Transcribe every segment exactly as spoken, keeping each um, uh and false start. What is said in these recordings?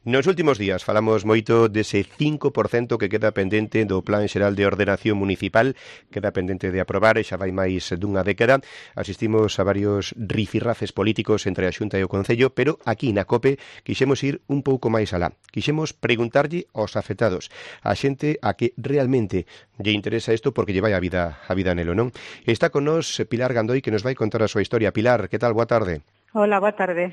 Nos últimos días falamos moito dese cinco por cento que queda pendente do Plan Xeral de Ordenación Municipal, queda pendente de aprobar e xa vai máis dunha década. Asistimos a varios rifirrafes políticos entre a Xunta e o Concello, pero aquí na COPE quixemos ir un pouco máis alá. Quixemos preguntarlle aos afectados, a xente a que realmente lle interesa isto porque lle vai a vida a vida nelo, non? Está con nós Pilar Gandoi que nos vai contar a súa historia. Pilar, que tal? Boa tarde. Hola, boa tarde.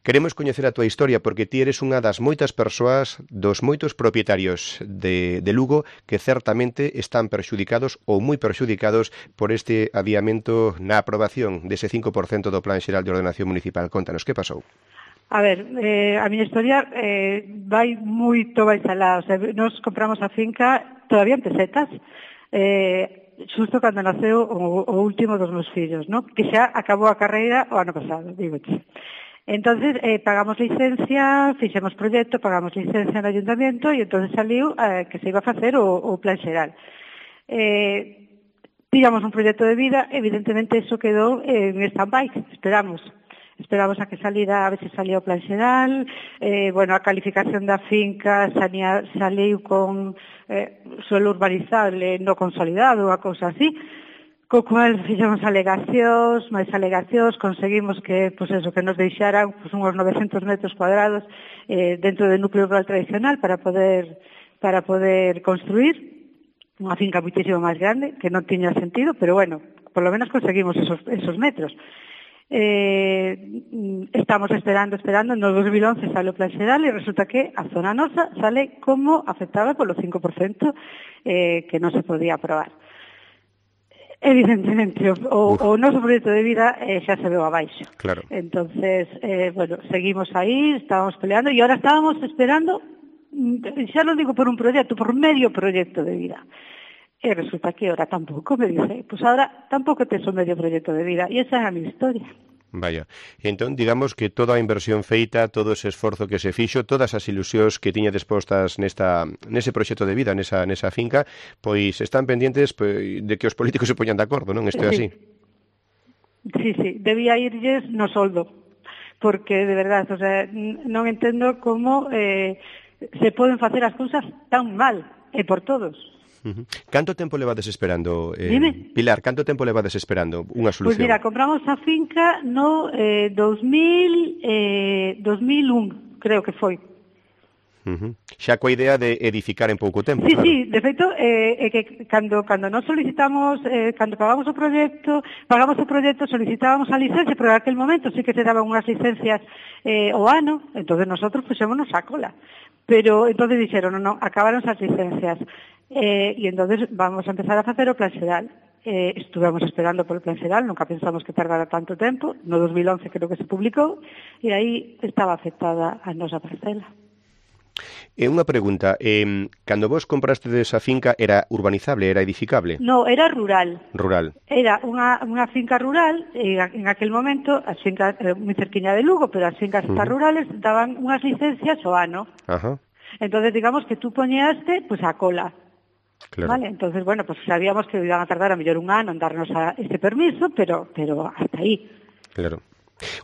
Queremos coñecer a túa historia porque ti eres unha das moitas persoas, dos moitos propietarios de, de Lugo que certamente están perxudicados ou moi perxudicados por este adiamento na aprobación dese cinco por cento do Plan Xeral de Ordenación Municipal. Contanos, que pasou? A ver, eh, a miña historia eh, vai moito máis alá. O sea, nos compramos a finca todavía en pesetas, eh, xusto cando naceu o, o último dos meus fillos, ¿no? Que xa acabou a carreira o ano pasado, digoche. Entonces, eh, pagamos licencia, fixemos proxecto, pagamos licencia no ayuntamiento e entonces saliu eh, que se iba a facer o, o plan xeral. Eh, tiramos un proxecto de vida, evidentemente eso quedou en stand-by, esperamos. Esperamos a que salira, a ver se salía o plan xeral, eh, bueno, a calificación da finca salía, saliu con eh, suelo urbanizable no consolidado, a cousa así. Co cual fixemos alegacións, máis alegacións, conseguimos que, pues eso, que nos deixaran pues, uns novecentos metros cuadrados eh, dentro do núcleo rural tradicional para poder para poder construir unha finca muitísimo máis grande, que non tiña sentido, pero bueno, por lo menos conseguimos esos, esos metros. Eh, estamos esperando, esperando, no dos mil once sale o plan xeral e resulta que a zona nosa sale como afectada polo cinco por cento eh, que non se podía aprobar. Evidentemente, o, o noso proxecto de vida eh, xa se veu abaixo. Claro. Entonces, eh, bueno, seguimos aí, estábamos peleando e ahora estábamos esperando, xa non digo por un proxecto, por medio proxecto de vida. E resulta que ahora tampouco, me dice, pues ahora tampouco tes un medio proxecto de vida. E esa é a miña historia. Vaya, entón digamos que toda a inversión feita, todo ese esforzo que se fixo, todas as ilusións que tiña dispostas nesta nese proxecto de vida, nesa nesa finca, pois están pendientes pois, de que os políticos se poñan de acordo, non? Isto é así. Sí, sí, debía irlles no soldo, porque de verdade, o sea, non entendo como eh, se poden facer as cousas tan mal, e por todos. Uh-huh. Canto tempo levades esperando, eh, Dime. Pilar, canto tempo levades esperando unha solución? Pois pues mira, compramos a finca no eh, dos mil, eh, dos mil un, creo que foi. Uh-huh. Xa coa idea de edificar en pouco tempo, Sí, claro. sí, de feito, eh, é que cando, cando nos solicitamos, eh, cando pagamos o proxecto, pagamos o proxecto, solicitábamos a licencia, pero en aquel momento sí que se daban unhas licencias eh, o ano, entonces nosotros puxémonos a cola. Pero entonces dixeron, non, non, acabaron as licencias. Eh, e entonces vamos a empezar a facer o plan xeral. Eh, estuvemos esperando por o plan xeral, nunca pensamos que tardara tanto tempo, no dos mil once creo que se publicou, e aí estaba afectada a nosa parcela. E unha pregunta, eh, cando vos compraste desa finca era urbanizable, era edificable? No, era rural. Rural. Era unha, unha finca rural, e en aquel momento, as fincas, eh, moi cerquiña de Lugo, pero as fincas uh-huh. rurales daban unhas licencias ao ano. Ajá. Entonces, digamos que tú poñeaste pues, a cola. Claro. Vale, entonces, bueno, pues sabíamos que iban a tardar a mellor un ano en darnos a este permiso, pero pero hasta aí. Claro.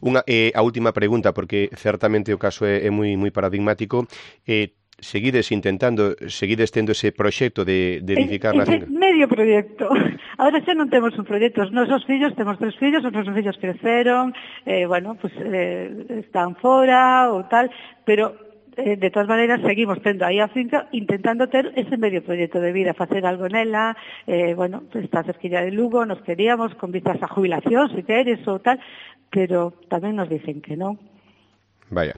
Unha, eh, a última pregunta, porque certamente o caso é, é moi moi paradigmático. Eh, seguides intentando, seguides tendo ese proxecto de, de edificar na finca? Medio proxecto. Ahora xa non temos un proxecto. Os nosos fillos, temos tres fillos, os nosos fillos creceron, eh, bueno, pues eh, están fora ou tal, pero eh, de todas maneiras seguimos tendo aí a finca intentando ter ese medio proxecto de vida, facer algo nela, eh, bueno, pues está cerquilla de Lugo, nos queríamos con vistas a jubilación, se queres ou tal, pero tamén nos dicen que non. Vaya.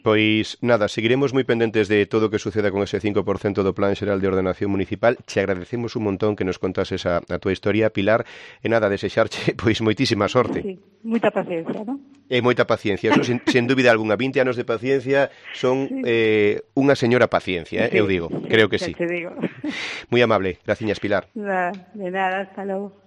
Pois nada, seguiremos moi pendentes de todo o que suceda con ese cinco por cento do Plan Xeral de Ordenación Municipal. Che agradecemos un montón que nos contases a, a túa historia, Pilar, e nada, desexarche pois moitísima sorte. Sí, moita paciencia, non? E moita paciencia, eso sin, sin dúbida alguna, vinte anos de paciencia son sí. eh, unha señora paciencia, eh, sí, eu digo, sí, creo que sí. Te digo. Moi amable, graciñas, Pilar. De nada, hasta logo.